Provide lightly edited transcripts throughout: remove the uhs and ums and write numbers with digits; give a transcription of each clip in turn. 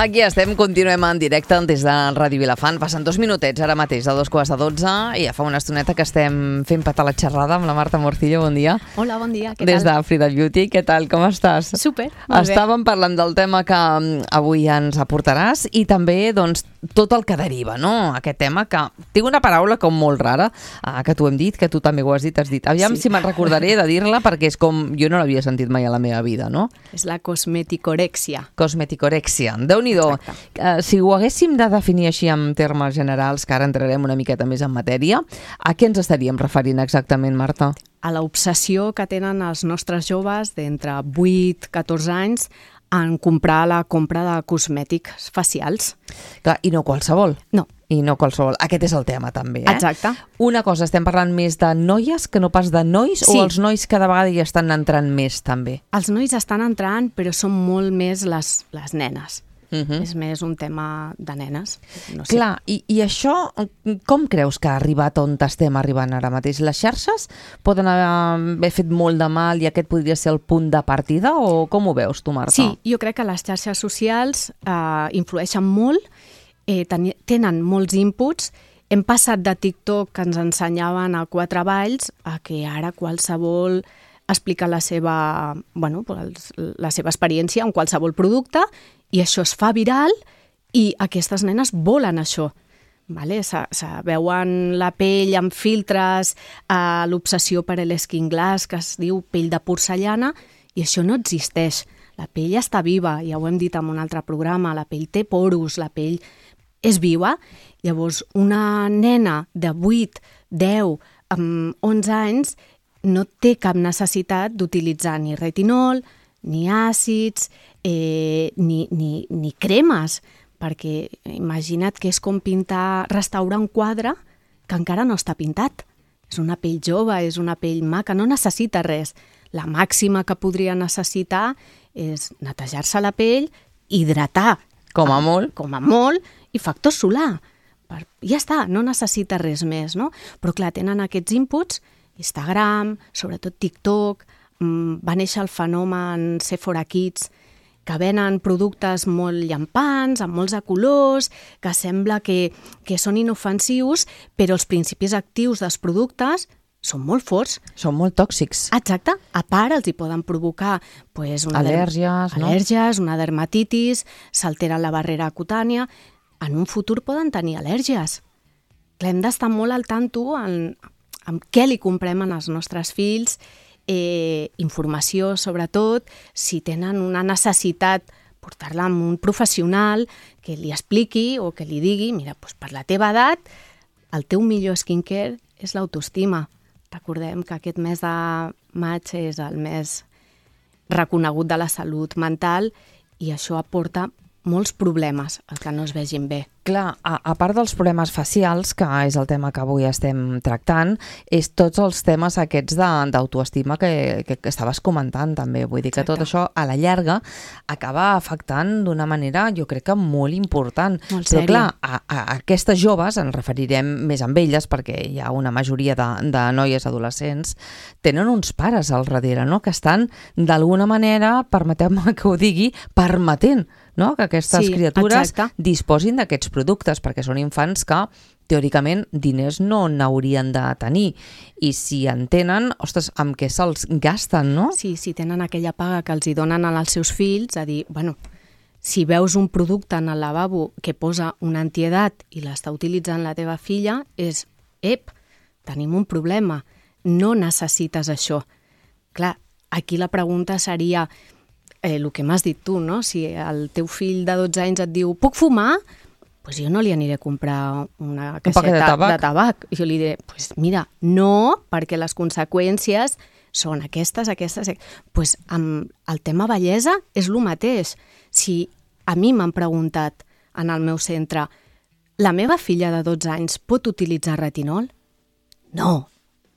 Aquí estem, continuem en directe des de Ràdio Vilafant. Passen 2 minutets ara mateix, de 2:45, i ja fa una estoneta que estem fent petar la xerrada amb la Marta Morcillo. Bon dia. Hola, bon dia. Què tal? Des de Frida Beauty. Què tal? Com estàs? Super, molt bé. Estàvem parlant del tema que avui ens aportaràs i també doncs, tot el que deriva, no? Aquest tema que tinc una paraula com molt rara, que t'ho hem dit, que tu també ho has dit. Aviam si me'n recordaré de dir-la perquè és com... Jo no l'havia sentit mai a la meva vida, no? És la cosmeticorèxia. Cosmeticorèxia. Déu-n'hi-do. Si ho haguéssim de definir així en termes generals, que ara entrarem una miqueta més en matèria, a què ens estaríem referint exactament, Marta? A l'obsessió que tenen els nostres joves d'entre 8 i 14 anys en comprar la compra de cosmètics facials. Clar, i no qualsevol. No. I no qualsevol. Aquest és el tema, també, Exacte. Una cosa, estem parlant més de noies que no pas de nois, Sí. o els nois cada vegada hi estan entrant més, també? Els nois estan entrant, però són molt més les nenes. Mhm. És més un tema de nenes. No sé. Clar, i això, com creus que ha arribat on estem arribant ara mateix? Les xarxes poden haver fet molt de mal i aquest podria ser el punt de partida, o com ho veus tu, Marta? Sí, jo crec que les xarxes socials influeixen molt, tenen molts inputs. Hem passat de TikTok, que ens ensenyaven a 4 balls, a que ara qualsevol explica la seva experiència en qualsevol producte, i això es fa viral i aquestes nenes volen això. Vale? Se veuen la pell amb filtres, l'obsessió per l'skin glass, que es diu pell de porcellana, i això no existeix. La pell està viva, ja ho hem dit en un altre programa, la pell té poros, la pell és viva. Llavors, una nena de 8, 10, 11 anys no té cap necessitat d'utilitzar ni retinol, ni àcids, ni cremes, perquè imagina't que és com restaurar un quadre que encara no està pintat. És una pell jove, és una pell maca, no necessita res. La màxima que podria necessitar és netejar-se la pell, hidratar. Com a molt. Com a molt, i factor solar. Ja està, no necessita res més, no? Però clar, tenen aquests inputs, Instagram, sobretot TikTok, va néixer el fenomen Sephora Kids, que venen productes molt llampants, amb molts de colors, que sembla que són inofensius, però els principis actius dels productes són molt forts. Són molt tòxics. Exacte. A part, els hi poden provocar al·lèrgies, una dermatitis, s'altera la barrera cutània. En un futur poden tenir al·lèrgies. Clar, hem d'estar molt al tanto amb què li comprem als nostres fills, informació, sobretot, si tenen una necessitat, portar-la amb un professional que li expliqui o que li digui, mira, doncs per la teva edat, el teu millor skincare és l'autoestima. Recordem que aquest mes de maig és el mes reconegut de la salut mental i això aporta molts problemes, el que no es vegin bé. Clar, a part dels problemes facials, que és el tema que avui estem tractant, és tots els temes aquests d'autoestima que estaves comentant també. Vull dir que tot això a la llarga acaba afectant d'una manera, jo crec que molt important. Molt Però sèria. clar, a aquestes joves, ens referirem més amb elles, perquè hi ha una majoria de noies adolescents, tenen uns pares al darrere, no?, que estan d'alguna manera, permeteu-me que ho digui, permetent, no?, que aquestes criatures disposin d'aquests productes, perquè són infants que, teòricament, diners no n'haurien de tenir. I si en tenen, ostres, amb què se'ls gasten, no? Sí, si tenen aquella paga que els hi donen als seus fills, a dir, bueno, si veus un producte en el lavabo que posa una antiedat i l'està utilitzant la teva filla, és, tenim un problema, no necessites això. Clar, aquí la pregunta seria el que m'has dit tu, no? Si el teu fill de 12 anys et diu, puc fumar? Doncs jo no li aniré a comprar una caixeta de tabac. Jo li diré, mira, no, perquè les conseqüències són aquestes. Doncs amb el tema bellesa és el mateix. Si a mi m'han preguntat en el meu centre, la meva filla de 12 anys pot utilitzar retinol? No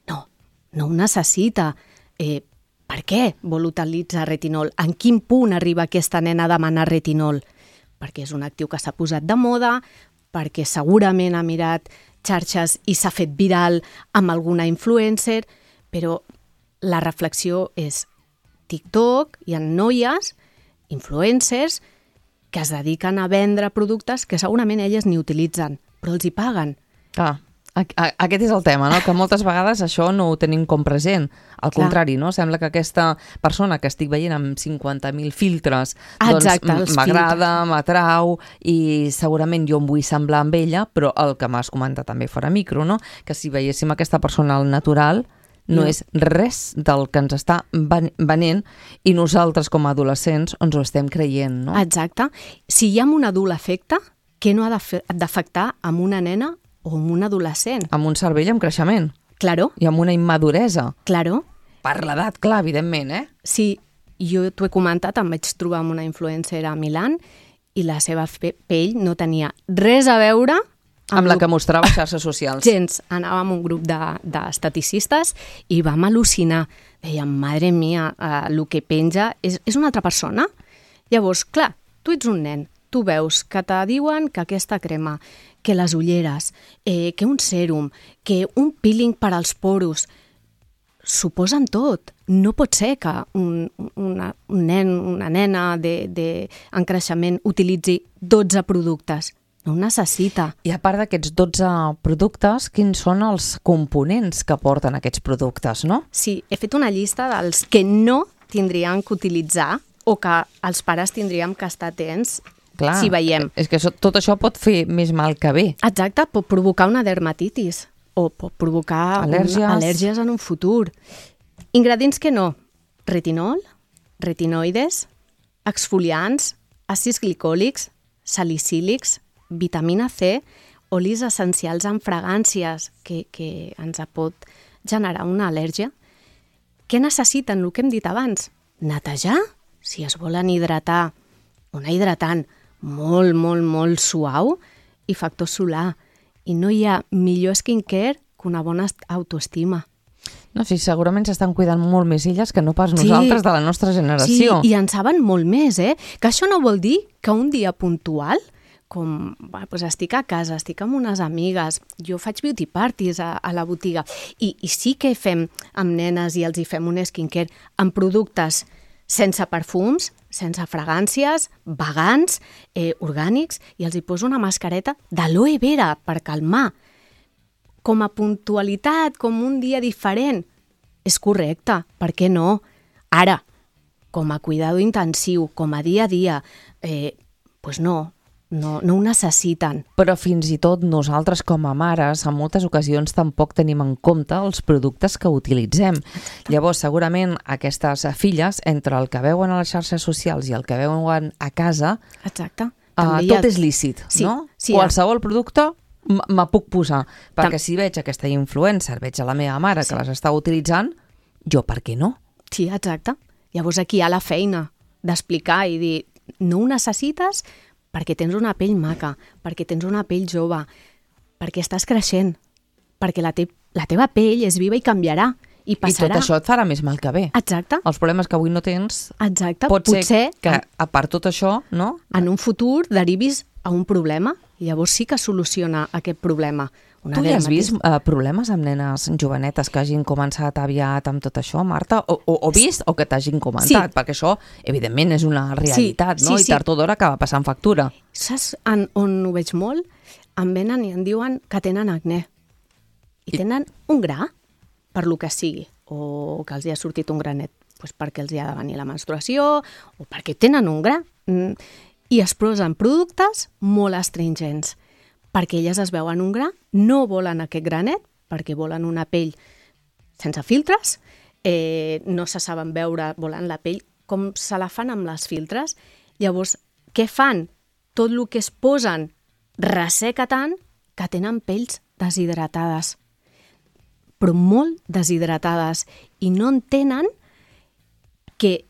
ho necessita. Per què vol utilitzar retinol? En quin punt arriba aquesta nena a demanar retinol? Perquè és un actiu que s'ha posat de moda, perquè segurament ha mirat xarxes i s'ha fet viral amb alguna influencer, però la reflexió és TikTok, hi ha noies, influencers, que es dediquen a vendre productes que segurament elles ni utilitzen, però els hi paguen. Aquest és el tema, no? Que moltes vegades això no ho tenim com present. Al contrari, no? Sembla que aquesta persona que estic veient amb 50.000 filtres doncs m'agrada, m'atrau i segurament jo em vull semblar amb ella, però el que m'has comentat també fora micro, no? Que si veiéssim aquesta persona al natural no és res del que ens està venent i nosaltres com a adolescents ens ho estem creient, no? Exacte. Si hi ha un adult afecte, què no ha d'afectar amb una nena o amb un adolescent? Amb un cervell en creixement. Claro. I amb una immaduresa. Claro. Per l'edat, clar, evidentment, eh? Sí, jo t'ho he comentat, em vaig trobar amb una influencer a Milán i la seva pell no tenia res a veure amb la que mostrava xarxes socials. Gens. Anàvem un grup d'esteticistes i vam al·lucinar. Dèiem, madre mia, el que penja és una altra persona. Llavors, clar, tu ets un nen, tu veus que te diuen que aquesta crema, que les ulleres, que un sèrum, que un peeling per als poros, suposen tot. No pot ser que un nen, una nena en creixement utilitzi 12 productes. No ho necessita. I a part d'aquests 12 productes, quins són els components que porten aquests productes, no? Sí, he fet una llista dels que no tindríem que utilitzar o que els pares tindríem que estar atents. Clar, si veiem. És que tot això pot fer més mal que bé. Exacte, pot provocar una dermatitis o pot provocar al·lèrgies en un futur. Ingredients que no. Retinol, retinoides, exfoliants, àcids glicòlics, salicílics, vitamina C, olis essencials amb fragàncies que ens pot generar una al·lèrgia. Què necessiten, el que hem dit abans? Netejar, si es volen hidratar, un hidratant molt, molt, molt suau i factor solar. I no hi ha millor skincare que una bona autoestima. No, sí, segurament s'estan cuidant molt més elles que no pas nosaltres de la nostra generació. Sí, i en saben molt més, Que això no vol dir que un dia puntual, com estic a casa, estic amb unes amigues, jo faig beauty parties a la botiga i sí que fem amb nenes i els hi fem un skincare amb productes sense perfums, sense fragàncies, vegans, orgànics, i els hi poso una mascareta d'aloe vera per calmar. Com a puntualitat, com un dia diferent, és correcte, per què no? Ara, com a cuidado intensiu, com a dia a dia, doncs no ho necessiten. Però fins i tot nosaltres com a mares en moltes ocasions tampoc tenim en compte els productes que utilitzem. Llavors segurament aquestes filles, entre el que veuen a les xarxes socials i el que veuen a casa, tot és lícit, no? Sí, qualsevol producte me puc posar, perquè si veig aquesta influencer, veig a la meva mare que les està utilitzant, jo per què no? Sí, exacte. Llavors aquí hi ha la feina d'explicar i dir, no ho necessites perquè tens una pell maca, perquè tens una pell jove, perquè estàs creixent, perquè la teva pell és viva i canviarà, i passarà. I tot això et farà més mal que bé. Exacte. Els problemes que avui no tens, exacte. Pot ser que, a part tot això, no? En un futur derivis a un problema, i llavors sí que soluciona aquest problema. Tu ja has vist problemes amb nenes jovenetes que hagin començat aviat amb tot això, Marta? O vist o que t'hagin comentat? Sí. Perquè això, evidentment, és una realitat, no? I tard o d'hora acaba passant factura. Saps on ho veig molt? Em venen i em diuen que tenen acné. I tenen un gra, per lo que sigui, o que els hi ha sortit un granet, doncs perquè els hi ha de venir la menstruació, o perquè tenen un gra. I es posen productes molt astringents, perquè elles es veuen un gra, no volen aquest granet, perquè volen una pell sense filtres, no se saben veure, volen la pell com se la fan amb les filtres. Llavors, què fan? Tot el que es posen resseca tant que tenen pells deshidratades, però molt deshidratades, i no entenen que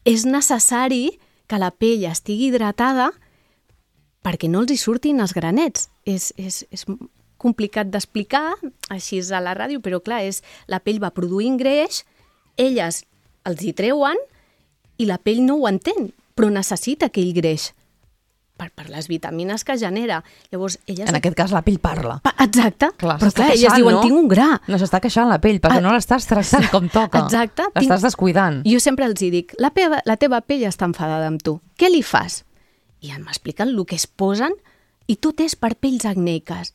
és necessari que la pell estigui hidratada perquè no els hi surtin els granets. És complicat d'explicar així a la ràdio, però clar, la pell va produint greix, elles els hi treuen i la pell no ho entén, però necessita aquell greix per les vitamines que genera. Llavors, elles... En aquest cas, la pell parla. Exacte, clar, però clar, elles diuen, tinc un gra. No s'està queixant la pell, perquè no l'estàs tractant com toca. Exacte. L'estàs descuidant. Jo sempre els dic, la teva pell està enfadada amb tu. Què li fas? I m'expliquen el que es posen i tot és per pells acneiques.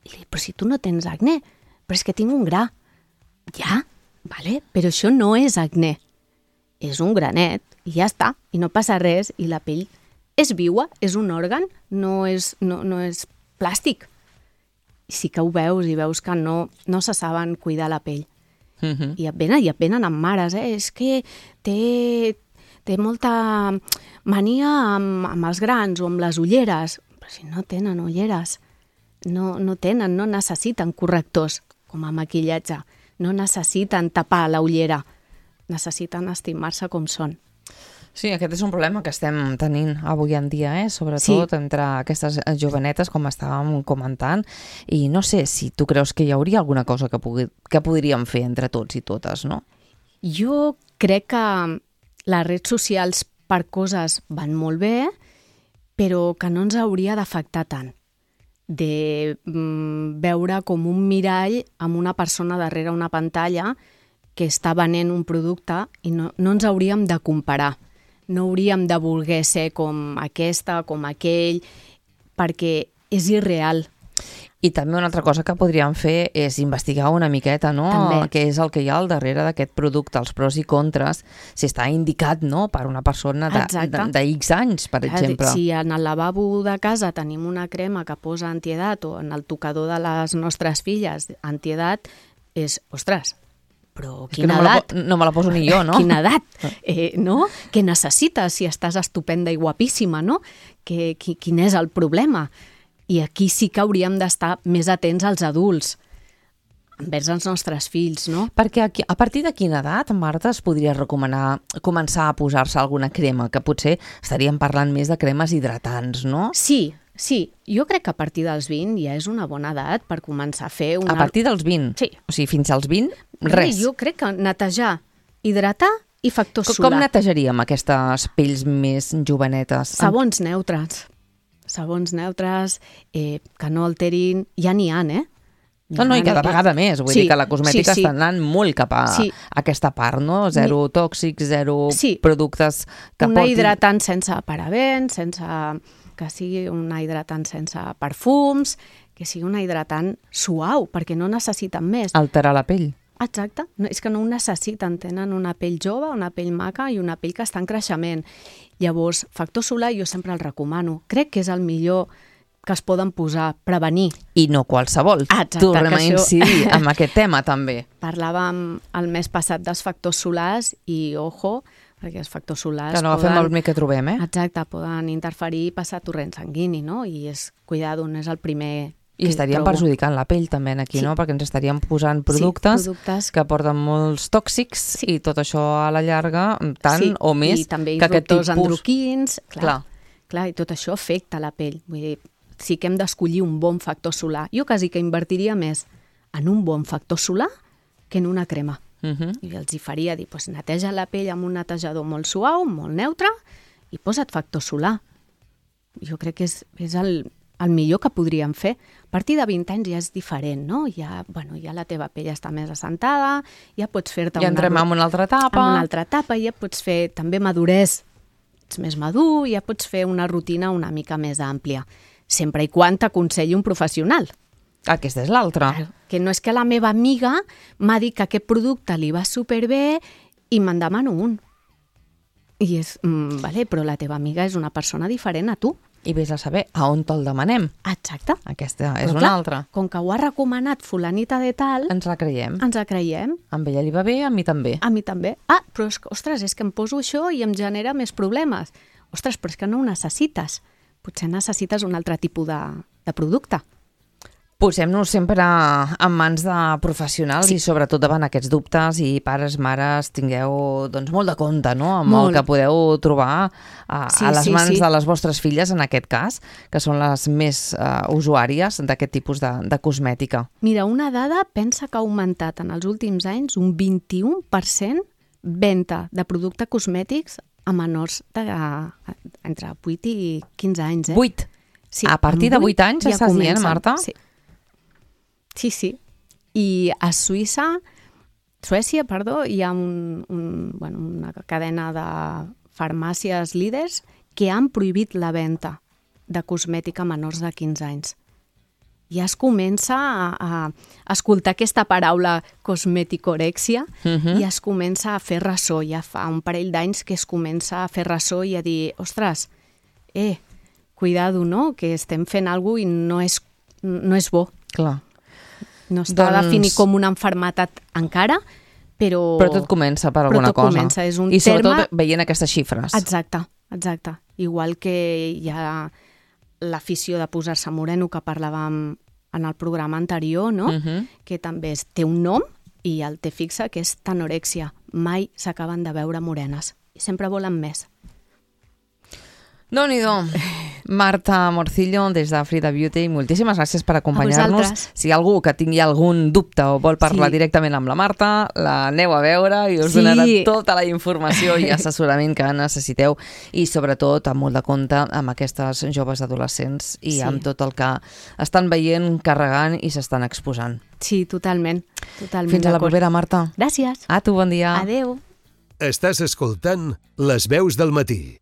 I li dic, però si tu no tens acné, però és que tinc un gra. Ja, vale, però això no és acné. És un granet i ja està, i no passa res, i la pell és viua, és un òrgan, no és plàstic. I sí que ho veus, i veus que no se saben cuidar la pell. I et venen amb mares, és que té molta mania amb els grans o amb les ulleres. Però si no tenen ulleres, no necessiten correctors com a maquillatge, no necessiten tapar la ullera, necessiten estimar-se com són. Sí, aquest és un problema que estem tenint avui en dia, sobretot entre aquestes jovenetes, com estàvem comentant, i no sé si tu creus que hi hauria alguna cosa que podríem fer entre tots i totes, no? Jo crec que les redes socials per coses van molt bé, però que no ens hauria d'afectar tant. De veure com un mirall amb una persona darrere una pantalla que està venent un producte i no ens hauríem de comparar. No hauríem de voler ser com aquesta, com aquell, perquè és irreal. I també una altra cosa que podríem fer és investigar una miqueta, no? També. Què és el que hi ha al darrere d'aquest producte, els pros i contres, si està indicat, no?, per una persona de X anys, per exemple. Si en el lavabo de casa tenim una crema que posa antiedat o en el tocador de les nostres filles antiedat, ostres, però quina edat? No me la poso ni jo, no? Quina edat, no? Què necessites si estàs estupenda i guapíssima, no? Quin és el problema? I aquí sí que hauríem d'estar més atents als adults, envers els nostres fills, no? Perquè a partir de quina edat, Marta, es podria recomanar començar a posar-se alguna crema? Que potser estaríem parlant més de cremes hidratants, no? Sí, jo crec que a partir dels 20 ja és una bona edat per començar a fer una... A partir dels 20? Sí. O sigui, fins als 20, res. Jo crec que netejar, hidratar i factor solar. Com netejaríem aquestes pells més jovenetes? Sabons neutres. Sabons neutres que no alterin... Ja n'hi ha, No, i cada vegada més. Vull dir que la cosmètica està anant molt cap a aquesta part, no? Zero tòxics, zero productes que portin... Una hidratant sense parabens, que sigui una hidratant sense perfums, que sigui una hidratant suau, perquè no necessiten més. Alterar la pell. Exacte. És que no ho necessiten. Tenen una pell jove, una pell maca i una pell que està en creixement. Llavors, factor solar jo sempre el recomano. Crec que és el millor que es poden posar, prevenir. I no qualsevol. Exacte, tornem a incidir amb aquest tema, també. Parlàvem el mes passat dels factors solars i, ojo, perquè els factors solars que no agafem el primer que trobem, Exacte, poden interferir i passar torrent sanguini, no? I és, cuidado, no és el primer I estaríem perjudicant la pell també aquí, no? Perquè ens estaríem posant productes que porten molts tòxics i tot això a la llarga, tant o més i també que aquest tipus... endocrins, clar, i tot això afecta la pell. Vull dir, sí que hem d'escollir un bon factor solar. Jo quasi que invertiria més en un bon factor solar que en una crema. I els hi faria dir, neteja la pell amb un netejador molt suau, molt neutre, i posa't factor solar. Jo crec que és el millor que podríem fer. A partir de 20 anys ja és diferent, no? Ja la teva pell està més assentada, ja pots fer-te ja entrem en una altra etapa. En una altra etapa, ja pots fer també maduresa. Ets més madur, ja pots fer una rutina una mica més àmplia. Sempre i quan t'aconselli un professional. Aquesta és l'altra. Que no és que la meva amiga m'ha dit que aquest producte li va superbé i me'n demano un. I és, vale, però la teva amiga és una persona diferent a tu. I vés a saber a on te'l demanem. Exacte. Aquesta és una altra. Com que ho ha recomanat fulanita de tal... Ens la creiem. Ens la creiem. A ella li va bé, a mi també. A mi també. Però ostres, és que em poso això i em genera més problemes. Ostres, però és que no ho necessites. Potser necessites un altre tipus de producte. Posem-nos sempre en mans de professionals i sobretot davant aquests dubtes i pares, mares, tingueu molt de compte, no?, amb el que podeu trobar a les mans de les vostres filles, en aquest cas, que són les més usuàries d'aquest tipus de cosmètica. Mira, una dada pensa que ha augmentat en els últims anys un 21% venda de productes cosmètics a menors entre 8 i 15 anys. 8? Sí, a partir de 8 anys estàs dient, Marta? Sí. I a Suècia, hi ha una cadena de farmàcies líders que han prohibit la venda de cosmètica a menors de 15 anys. Ja es comença a escoltar aquesta paraula cosmeticorèxia i es comença a fer ressò. Ja fa un parell d'anys que es comença a fer ressò i a dir, ostres, cuidado, no? Que estem fent alguna cosa i no és bo. Clar. No està definit com una malaltia encara, però tot comença per alguna cosa. Comença, és un I sobretot terme... veient aquestes xifres. Exacte. Igual que hi ha l'afició de posar-se moreno que parlàvem en el programa anterior, no? Que també té un nom i el té fixa, que és tanorèxia. Mai s'acaben de veure morenes. Sempre volen més. Déu-n'hi-do. Marta Morcillo, des de Frida Beauty, moltíssimes gràcies per acompanyar-nos. Si hi ha algú que tingui algun dubte o vol parlar directament amb la Marta, l'aneu a veure i us donarà tota la informació i assessorament que necessiteu i sobretot amb molt de compte amb aquestes joves adolescents i amb tot el que estan veient, carregant i s'estan exposant. Sí, totalment. Fins a la propera, Marta. Gràcies. A tu, bon dia. Adeu. Estàs escoltant Les veus del matí.